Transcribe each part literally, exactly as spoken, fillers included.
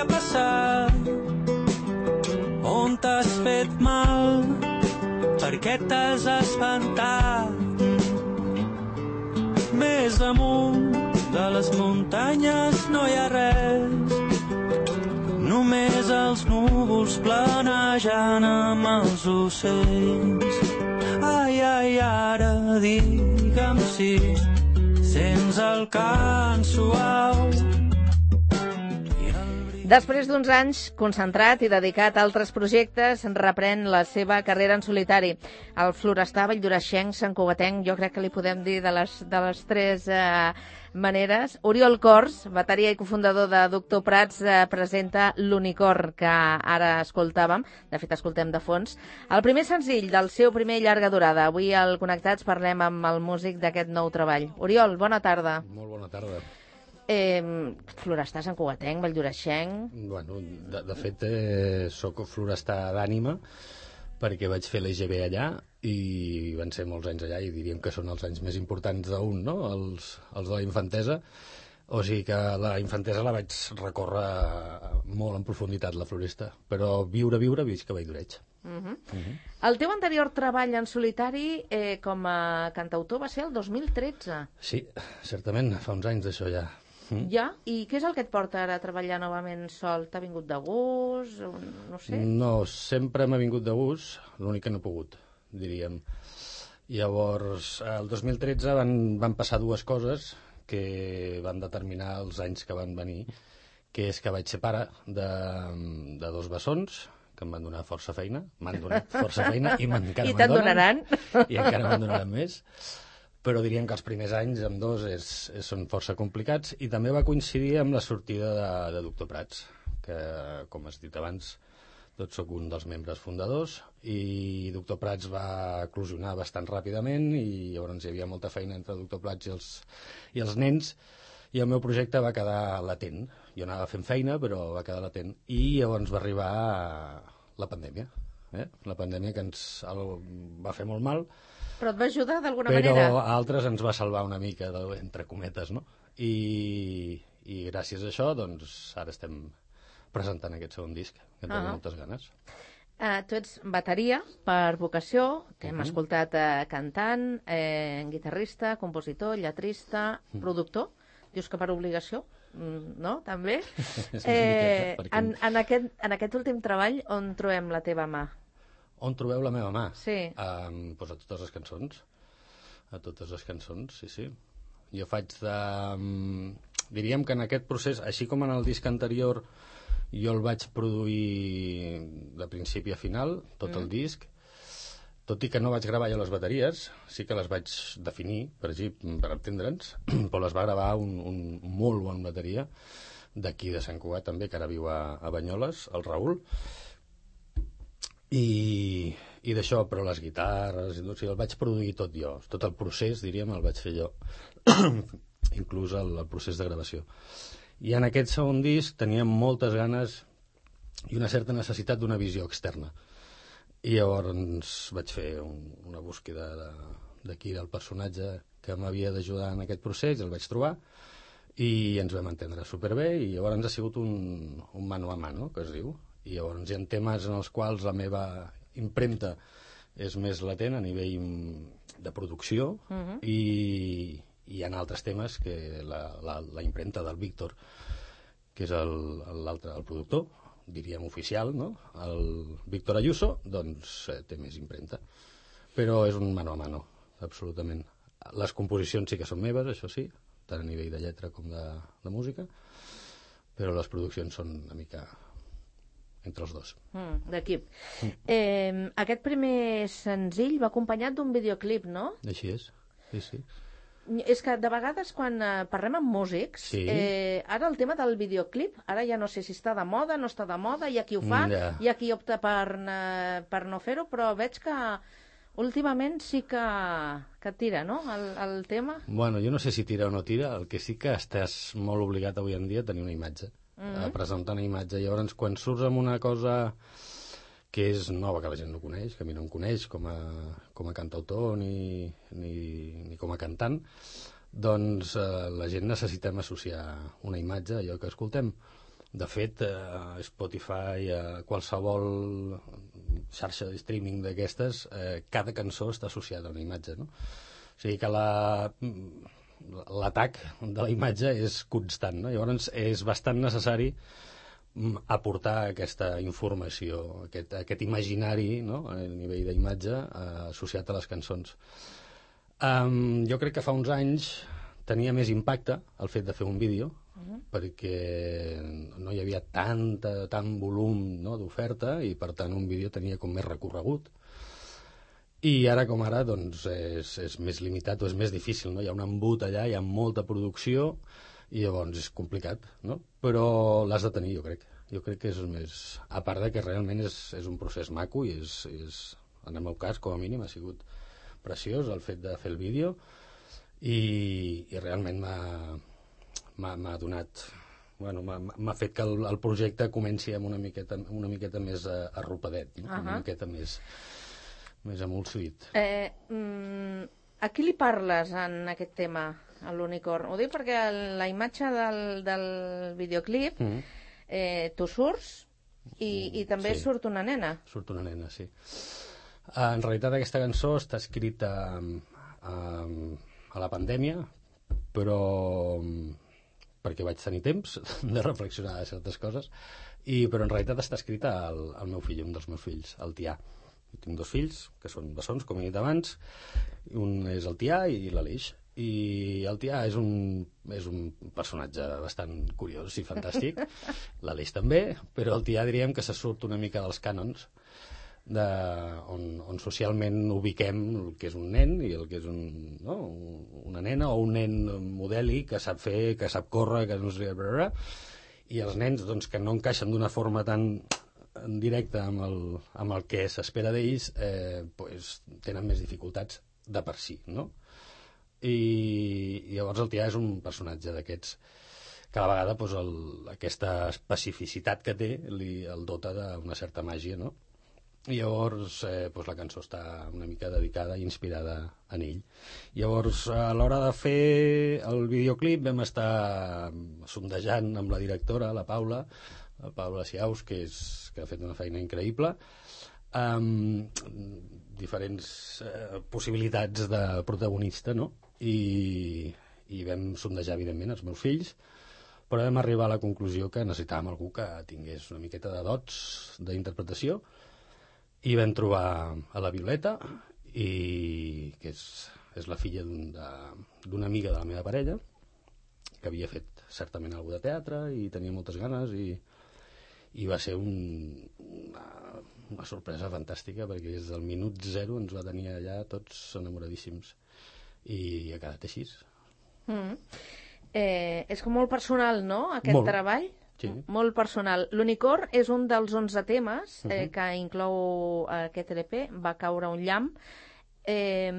ha passat? On t'has fet mal? Per què t'has espantat? Més amunt de les muntanyes no hi ha res, només els núvols planejant amb els ocells. Ai, ai, ara digue'm si sents el cant suau. Després d'uns anys concentrat i dedicat a altres projectes, reprèn la seva carrera en solitari. El Florestar, valldoreixenc, santcugatenc, jo crec que li podem dir de les, de les tres eh, maneres. Oriol Cors, bateria i cofundador de Doctor Prats, eh, presenta l'Unicorn, que ara escoltàvem, de fet escoltem de fons. El primer senzill del seu primer llarga durada. Avui al Connectats parlem amb el músic d'aquest nou treball. Oriol, bona tarda. Molt bona tarda. Eh, Florestar, santcugatenc, valldoreixenc... Bueno, de, de fet, eh, soc florestar d'ànima, perquè vaig fer l'E G B allà i van ser molts anys allà i diríem que són els anys més importants d'un, no? Els, els de la infantesa. O sigui que la infantesa la vaig recórrer molt en profunditat, la floresta. Però viure, viure, visc a Valldoreig. Uh -huh. Uh -huh. El teu anterior treball en solitari eh, com a cantautor va ser el dos mil tretze. Sí, certament, fa uns anys d'això ja. Mm. Ja? I què és el que et porta ara a treballar novament sol? T'ha vingut de gust? No sé. No, sempre m'ha vingut de gust, l'únic que no he pogut, diríem. Llavors, el dos mil tretze van, van passar dues coses que van determinar els anys que van venir, que és que vaig ser pare de, de dos bessons, que em van donar força feina, m'han donat força feina i encara I me'n te'n donen. donaran. I encara me'n donaran més. Però diríem que els primers anys amb dos és, és, són força complicats i també va coincidir amb la sortida de, de Doctor Prats, que, com has dit abans, tot sóc un dels membres fundadors i Doctor Prats va eclosionar bastant ràpidament i llavors hi havia molta feina entre Doctor Prats i els, i els nens i el meu projecte va quedar latent. Jo anava fent feina, però va quedar latent. I llavors va arribar la pandèmia. Eh? La pandèmia que ens el, va fer molt mal. Però et va ajudar d'alguna Però manera? Però a altres ens va salvar una mica, de, entre cometes, no? I, I gràcies a això, doncs, ara estem presentant aquest segon disc, que en tenim Ah. moltes ganes. Uh, tu ets bateria per vocació, t'hem Uh-huh. escoltat uh, cantant, eh, guitarrista, compositor, lletrista, Uh-huh. productor. Dius que per obligació, mm, no? També. És una eh, miqueta, perquè- en, en, aquest, en aquest últim treball, on trobem la teva mà? On trobeu la meva mà? Sí. Um, doncs a totes les cançons. A totes les cançons, sí, sí. Jo faig de... Um, diríem que en aquest procés, així com en el disc anterior, jo el vaig produir de principi a final, tot mm. el disc, tot i que no vaig gravar jo les bateries, sí que les vaig definir, per així, per entendre'ns, però les va gravar un, un molt bon bateria, d'aquí de Sant Cugat també, que ara viu a, a Banyoles, el Raül, i, i d'això, però les guitarres, o sigui, el vaig produir tot jo, tot el procés, diríem, el vaig fer jo, inclús el, el procés de gravació. I en aquest segon disc teníem moltes ganes i una certa necessitat d'una visió externa. I llavors vaig fer un, una búsqueda d'aquí del personatge que m'havia d'ajudar en aquest procés, el vaig trobar, i ens vam entendre superbé, i llavors ha sigut un, un mano a mano, que es diu. I llavors hi ha temes en els quals la meva impremta és més latent a nivell de producció, uh-huh. i, i hi ha altres temes que la, la, la impremta del Víctor, que és l'altre, el, el productor, diríem oficial, no? El Víctor Ayuso, doncs eh, té més impremta. Però és un mano a mano, absolutament. Les composicions sí que són meves, això sí, tant a nivell de lletra com de, de música, però les produccions són una mica entre els dos. Mm, d'equip. Mm. Eh, aquest primer senzill va acompanyat d'un videoclip, no? Així és, sí, sí. És que de vegades quan eh, parlem amb músics, sí. eh, ara el tema del videoclip, ara ja no sé si està de moda, no està de moda, hi ha qui ho fa, ja. hi ha qui opta per, eh, per no fer-ho, però veig que últimament sí que, que tira, no?, el, el tema. Bueno, jo no sé si tira o no tira, el que sí que estàs molt obligat avui en dia a tenir una imatge, mm-hmm. a presentar una imatge. Llavors, quan surts amb una cosa que és nova, que la gent no coneix, que a mi no em coneix com a, com a cantautor ni, ni, ni com a cantant, doncs eh, la gent necessitem associar una imatge a allò que escoltem. De fet, a Spotify, a qualsevol xarxa de streaming d'aquestes, eh, cada cançó està associada a una imatge, no? O sigui que la, l'atac de la imatge és constant, no? Llavors és bastant necessari aportar aquesta informació, aquest, aquest imaginari, no? A nivell d'imatge eh, associat a les cançons. Um, jo crec que fa uns anys tenia més impacte el fet de fer un vídeo, uh-huh. perquè no hi havia tanta, tant volum, no, d'oferta, i per tant un vídeo tenia com més recorregut. I ara com ara doncs, és, és més limitat o és més difícil, no? Hi ha un embut allà, hi ha molta producció, i llavors és complicat, no? Però l'has de tenir, jo crec. Jo crec que és més... A part de que realment és, és un procés maco i és, és, en el meu cas, com a mínim, ha sigut preciós el fet de fer el vídeo, i, i realment m'ha donat... Bueno, m'ha fet que el, el projecte comenci amb una miqueta, una miqueta més arropadet, no? Uh-huh. Una miqueta més, més amolsuït. Eh, mm, a qui li parles en aquest tema, a l'Unicorn? Ho dic perquè la imatge del, del videoclip, mm. eh, tu surts i, i també sí. Surt una nena. Surt una nena, sí. En realitat aquesta cançó està escrita um, a la pandèmia, però perquè vaig tenir temps de reflexionar de certes coses, i, però en realitat està escrita al, al meu fill, un dels meus fills, el Tià. Jo tinc dos fills, que són bessons, com he dit abans, un és el Tià i l'Aleix. I el Tià és un, és un personatge bastant curiós i fantàstic, l'Aleix també, però el Tià diríem que se surt una mica dels cànons, de, on, on socialment ubiquem el que és un nen i el que és un, no? Una nena o un nen modèlic que sap fer, que sap córrer, que no sé, i els nens doncs, que no encaixen d'una forma tan directa amb el, amb el que s'espera d'ells, eh, pues, tenen més dificultats de per si, no? I, i llavors el Tià és un personatge d'aquests que a la vegada pues, el, aquesta especificitat que té li, el dota d'una certa màgia, no? I llavors eh, doncs la cançó està una mica dedicada i inspirada en ell. Llavors, a l'hora de fer el videoclip vam estar sondejant amb la directora, la Paula, la Paula Siaus, que, és, que ha fet una feina increïble, amb diferents eh, possibilitats de protagonista, no? I, i vam sondejar, evidentment, els meus fills, però vam arribar a la conclusió que necessitàvem algú que tingués una miqueta de dots d'interpretació, i vam trobar a la Violeta, i, que és, és la filla d'una un amiga de la meva parella, que havia fet certament alguna de teatre i tenia moltes ganes, i, i va ser un, una, una sorpresa fantàstica, perquè des del minut zero ens va tenir allà tots enamoradíssims, i ha quedat així. Mm. Eh, és com molt personal, no?, aquest molt. Treball? Sí. Molt personal. L'Unicorn és un dels onze temes eh, uh-huh. que inclou aquest L P, Va caure un llamp. Eh,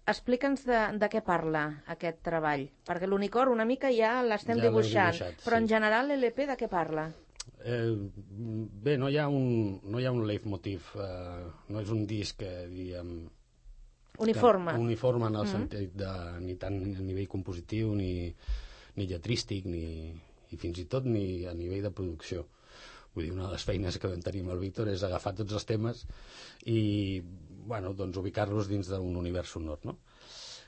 Explica'ns de, de què parla aquest treball, perquè l'Unicorn una mica ja l'estem ja dibuixant, dibuixat, però sí. En general l'L P de què parla? Eh, bé, no hi ha un, no hi ha un leitmotiv, eh, no és un disc que diguem... Uniforme. Que, uniforme en el uh-huh. sentit de ni tant a nivell compositiu, ni, ni lletrístic, ni... i fins i tot ni a nivell de producció. Vull dir, una de les feines que vam tenir amb el Víctor és agafar tots els temes i, bueno, doncs ubicar-los dins d'un univers sonor, no?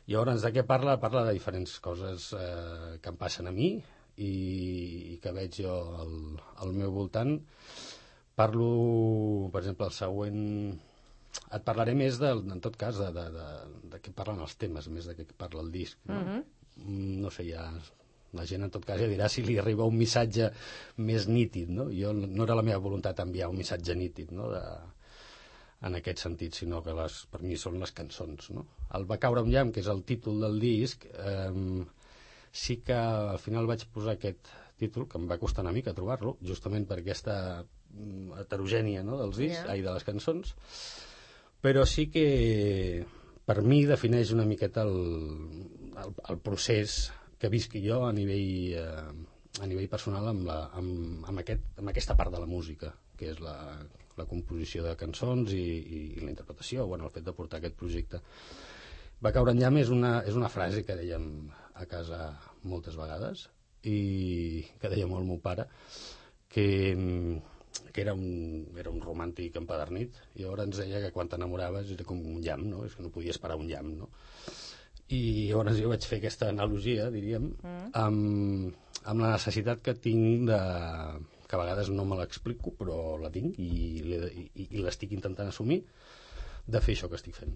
Llavors, de què parla? Parla de diferents coses eh, que em passen a mi i, i que veig jo al, al meu voltant. Parlo, per exemple, el següent... Et parlaré més, de, en tot cas, de, de, de, de què parlen els temes, més de què parla el disc, no? Uh-huh. No sé, ja... La gent, en tot cas, ja dirà si li arriba un missatge més nítid, no? Jo no era la meva voluntat enviar un missatge nítid, no?, de, en aquest sentit, sinó que les, per mi són les cançons, no? El Va caure un llamp, que és el títol del disc, eh, sí que al final vaig posar aquest títol, que em va costar una mica trobar-lo, justament per aquesta heterogènia, no?, dels discs, yeah. ai, de les cançons, però sí que per mi defineix una miqueta el, el, el procés que visqui jo a nivell, eh, a nivell personal amb, la, amb, amb, aquest, amb aquesta part de la música, que és la, la composició de cançons i, i, i la interpretació, bueno, el fet de portar aquest projecte. Va caure en llamp és una, és una frase que dèiem a casa moltes vegades i que deia molt el meu pare, que, que era, un, era un romàntic empadernit, i llavors ens deia que quan t'enamoraves era com un llamp, no? És que no podies parar un llamp, no? I llavors jo vaig fer aquesta analogia, diríem, mm. amb, amb la necessitat que tinc de... que a vegades no me l'explico, però la tinc i, i, i l'estic intentant assumir, de fer això que estic fent.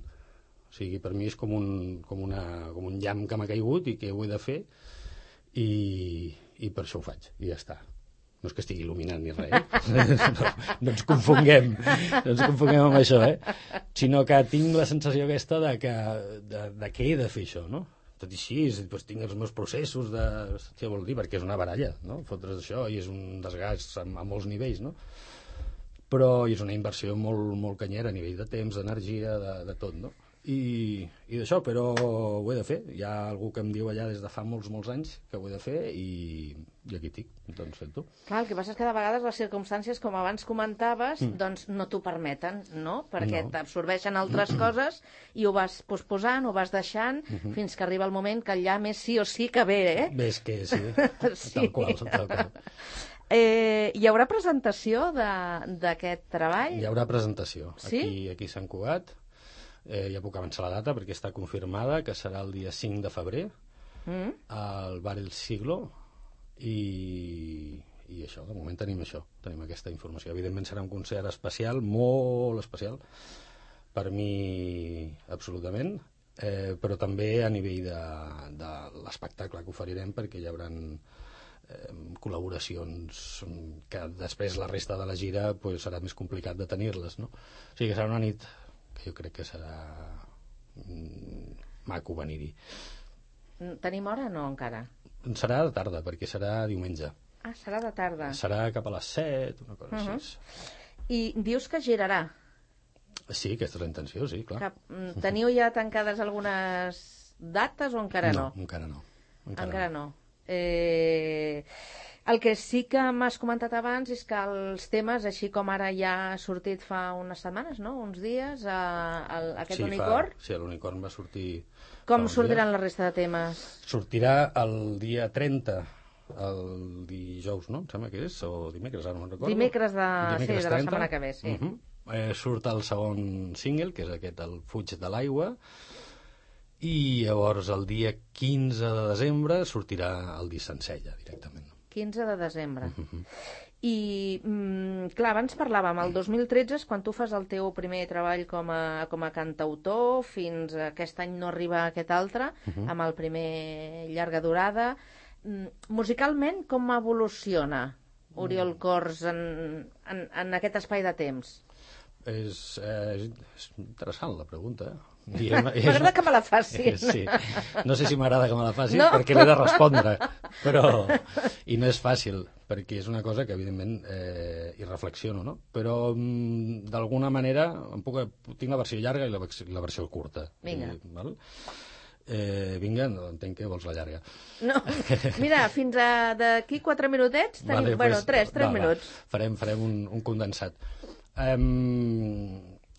O sigui, per mi és com un, com una, com un llamp que m'ha caigut i que ho he de fer, i, i per això ho faig, i ja està. No és que estigui il·luminant ni res, eh? no, no ens confonguem, no ens confonguem amb això, eh? Sinó que tinc la sensació aquesta de que, de, de que he de fer això, no? Tot i així, doncs, tinc els meus processos de... Què vol dir? Perquè és una baralla, no? Fotre's això i és un desgast a, a molts nivells, no? Però és una inversió molt, molt canyera a nivell de temps, d'energia, de, de tot, no? I, i d'això, però ho he de fer. Hi ha algú que em diu allà des de fa molts, molts anys que ho he de fer i, i aquí estic, doncs fent-ho. Clar, el que passa és que de vegades les circumstàncies, com abans comentaves, mm. doncs no t'ho permeten, no? Perquè no. T'absorbeixen altres coses i ho vas posposant, ho vas deixant, mm-hmm. fins que arriba el moment que allà més sí o sí que ve, eh? Ves que sí, sí. Tal qual, tal qual. Eh, hi haurà presentació d'aquest treball? Hi haurà presentació. Sí? Aquí, aquí a Sant Cugat. Eh, ja puc avançar la data perquè està confirmada, que serà el dia cinc de febrer mm. al Bar El Siglo i, i això, de moment tenim això, tenim aquesta informació. Evidentment serà un concert especial, molt especial per mi absolutament, eh, però també a nivell de, de l'espectacle que oferirem, perquè hi haurà eh, col·laboracions que després la resta de la gira pues, serà més complicat de tenir-les, no? O sigui que serà una nit que jo crec que serà mm, maco venir-hi. Tenim hora o no encara? Serà de tarda, perquè serà diumenge. Ah, serà de tarda. Serà cap a les set, una cosa uh-huh. així. I dius que girarà? Sí, aquesta és la intenció, sí, clar. Que, teniu ja tancades algunes dates o encara no? No, encara no. Encara, encara no. no. Eh... El que sí que m'has comentat abans és que els temes, així com ara ja ha sortit fa unes setmanes, no? Uns dies, a, a, a aquest sí, unicorn. Fa, sí, l'unicorn va sortir... Com sortiran la resta de temes? Sortirà el dia trenta, el dijous, no? Em sembla que és, o dimecres, ara no me'n recordo. Dimecres de, dimecres sí, de la setmana que ve, sí. Uh-huh. eh, surt el segon single, que és aquest, el Fuig de l'aigua, i llavors el dia quinze de desembre sortirà el disc sencer, ja, directament. quinze de desembre. Uh-huh. I, mm, clar, abans parlàvem, el dos mil tretze és quan tu fas el teu primer treball com a, com a cantautor, fins a aquest any no arriba aquest altre, uh-huh. amb el primer llarga durada. Mm, musicalment, com evoluciona Oriol Cors en, en, en aquest espai de temps? És, eh, és interessant la pregunta, eh? M'agrada que me la facin. Sí. No sé si m'agrada que me la facin no? perquè l'he de respondre, però i no és fàcil, perquè és una cosa que evidentment eh, hi reflexiono, no? Però mm, d'alguna manera em puc, tinc la versió llarga i la, la versió curta. Vinga. I, val? Eh, vinga, no entenc que vols la llarga. No, mira, fins a d'aquí quatre minutets tenim, vale, bueno, pues, tres, tres va, minuts. Va. Farem, farem un, un condensat. Um,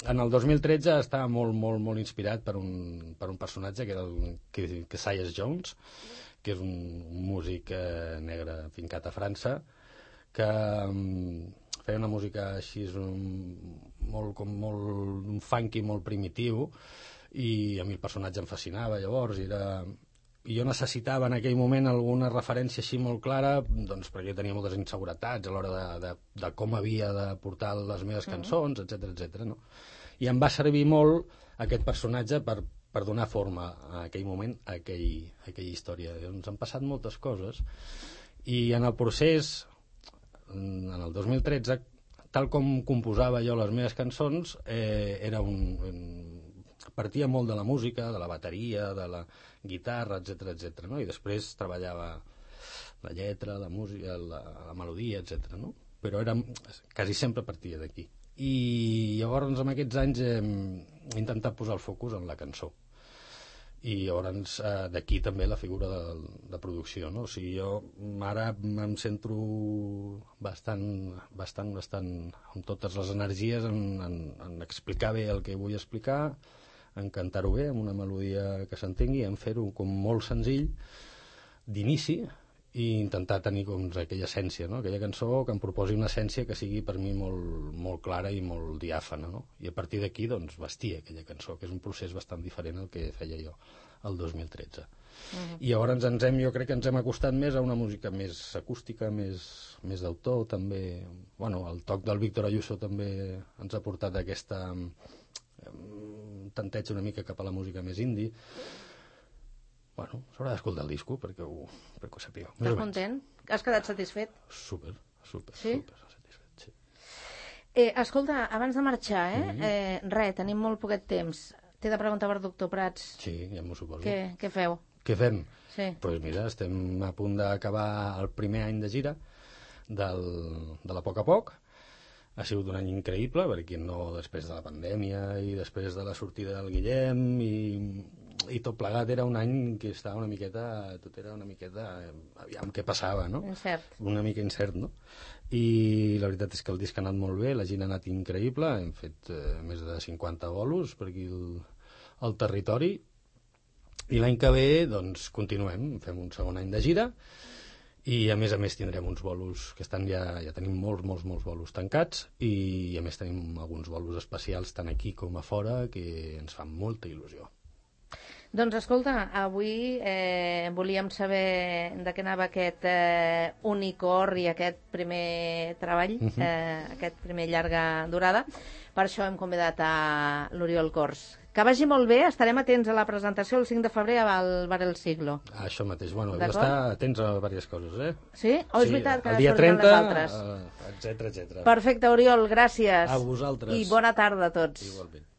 en el dos mil tretze estava molt, molt, molt inspirat per un, per un personatge que era el Keziah Jones, que és un, un músic eh, negre fincat a França, que um, feia una música així un, molt, com molt, un funky molt primitiu, i a mi el personatge em fascinava llavors, i era... I jo necessitava en aquell moment alguna referència així molt clara, doncs perquè jo tenia moltes inseguretats a l'hora de, de, de com havia de portar les meves cançons, etcètera, etcètera, no? I em va servir molt aquest personatge per, per donar forma a aquell moment, a, aquell, a aquella història. Ens han passat moltes coses i en el procés, en el dos mil tretze, tal com composava jo les meves cançons, eh, era un... un partia molt de la música, de la bateria, de la guitarra, etcètera, etcètera, no? I després treballava la lletra, la música, la, la melodia, etcètera, no? Però era, quasi sempre partia d'aquí. I llavors, en aquests anys, he intentat posar el focus en la cançó. I llavors, eh, d'aquí també la figura de, de producció, no? O sigui, jo ara em centro bastant, bastant, bastant amb totes les energies en, en, en explicar bé el que vull explicar, en cantar-ho bé, amb una melodia que s'entengui, en fer-ho com molt senzill d'inici i intentar tenir doncs, aquella essència, no? Aquella cançó que em proposi una essència que sigui per mi molt, molt clara i molt diàfana, no? I a partir d'aquí doncs, vestir aquella cançó, que és un procés bastant diferent al que feia jo el dos mil tretze. Uh-huh. I llavors ens hem, jo crec que ens hem acostat més a una música més acústica, més, més d'autor, també. Bueno, el toc del Víctor Ayuso també ens ha portat aquesta um, tanteig una mica cap a la música més indie. Bueno, s'haurà d'escoltar el disco perquè ho, perquè ho sapigueu. Estàs content? Has quedat satisfet? Súper, súper, sí? súper satisfet, sí. Eh, escolta, abans de marxar, eh? Mm-hmm. eh res, tenim molt poquet temps. T'he de preguntar per doctor Prats. Sí, ja m'ho suposo. Què, què feu? Què fem? Sí. Doncs pues mira, estem a punt d'acabar el primer any de gira del, de la Poc a Poc. Ha sigut un any increïble, perquè no, després de la pandèmia i després de la sortida del Guillem i, i tot plegat era un any que estava una miqueta, tot era una miqueta, aviam què passava, no? Incert. Una mica incert, no? I la veritat és que el disc ha anat molt bé, la gira ha anat increïble, hem fet eh, més de cinquanta bolos per aquí al, al territori, i l'any que ve, doncs, continuem, fem un segon any de gira, i a més a més tindrem uns bolos que estan ja, ja tenim molts, molts, molts bolos tancats, i a més tenim alguns bolos especials tant aquí com a fora que ens fan molta il·lusió. Doncs escolta, avui eh, volíem saber de què anava aquest eh, Unicor i aquest primer treball, uh-huh. eh, aquest primer llarga durada. Per això hem convidat a l'Oriol Cors. Que vagi molt bé, estarem atents a la presentació el cinc de febrer al Bar El Siglo. Ah, això mateix, bueno, hem d'estar atents a diverses coses, eh? Sí? O oh, és sí, veritat que el dia surten trenta, les altres? Uh, etcètera, etcètera. Perfecte, Oriol, gràcies. A vosaltres. I bona tarda a tots. Igualment.